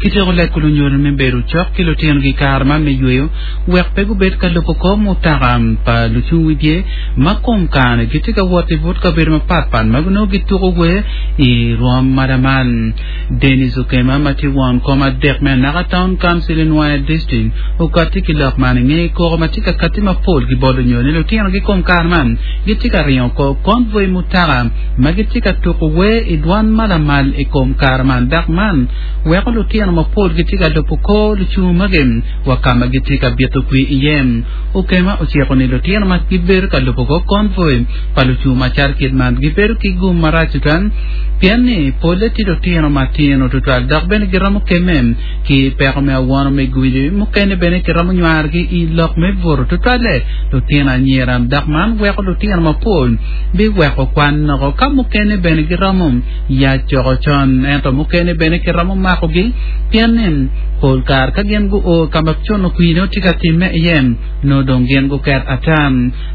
Kityeko lego lunyodo me bedo cok ki lutinogi i kare man me yweyo wek pe gubed ka lubo kor mutoka pa lucung wibye ma kom kare gitye ka wot i but kabedo mapatpat ma nongo gituko wer i rwom ma lamal. Dennis Okema ma tye won kom adek me Anaka Town Council i Nwoya District okatti ki lok man i nge koko ma tye ka katti mapol ki bot lunyodo ni lutinogi kom kare man gitye ka ringo kor konvoi mutoka ma gitye ka tuko wer i dwan ma lamal i kom kare man dok man weko lutino mapol gitye ka lubo kor lucungu magi wa ka ma gitye ka bito kwir iye. Okema ociko ni lutino ma gibedo ka lubo kor konvoi pa lucungu macal kit man gibedo ki gum marac tutwal pien ni polle tye lutino matino tutwal dok bene giromo kemme ki peko me awono me gwili mukene bene kiromo nywarogi i lok me buto tutwalle lutino anyira dok man weko lutino mapol biweko kwan noko ka mukene bene giromo yac coko con ento mukene bene kiromo makogi pien ni pol kare ka gin guo ka ma cuno kwir nongo tye ka timme iye nongo dong gin guket ata.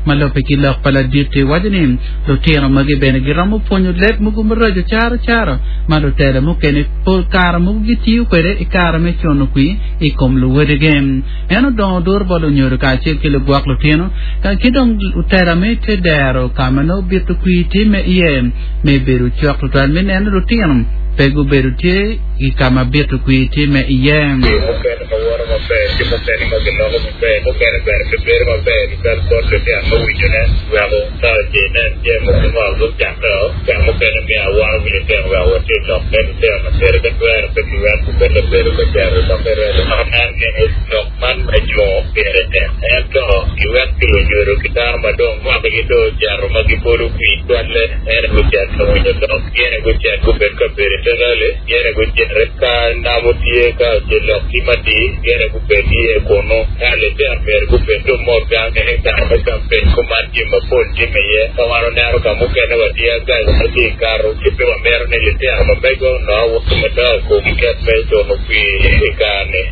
Ma lubbe ki lok pa ladit-ti waco ni lutino magi bene giromo pwonyo leb mogo maraco caro caro ma lutela mukene pol kare mogo gitiyo kwede i kare me cuno kwir i kom luwodigi. En odongo duru bot lunyodo kacel ki lugwok lutino ki dong lutela me te dero ka ma nongo bito kwir timme iye me bedo cok tutwal me neno lutino pe gubedo tye i ka ma bito kwir timme iye. Jo mukene ma woto maber ki mukene ma giloko maber, mukene bene pe bedo maber tutwal bot litino me winyone, weko ka ce inen jami mogo mwaka gucakkeo, ka mukene myero awano ki litino wek watit lok me litino ma teri ka twero pe kiwek gubed labedo ka cito i lok me redo. Nen ni lok man me jungo pire tek, ento giwek ki lunyodo ki dano ma dong mwakagi dong ocito ma gibolo kwir twalle, en aye gucit ka winyo lok, gin aye gucit gubed ka bedo i te rali, gin aye gucit ka namo tye ka ce lok tye madir, gin aye gubed iye kunnu. Ka litino myero gubed dong mot gang i kare me kampen kuman jami mapol timme iye. Ka wan oneno ka mukene watye agaga ma tye kato, ci pe wamito ni litino ma megwa onongo awobe madongo i kom ket me cuno kwir i kare-ni.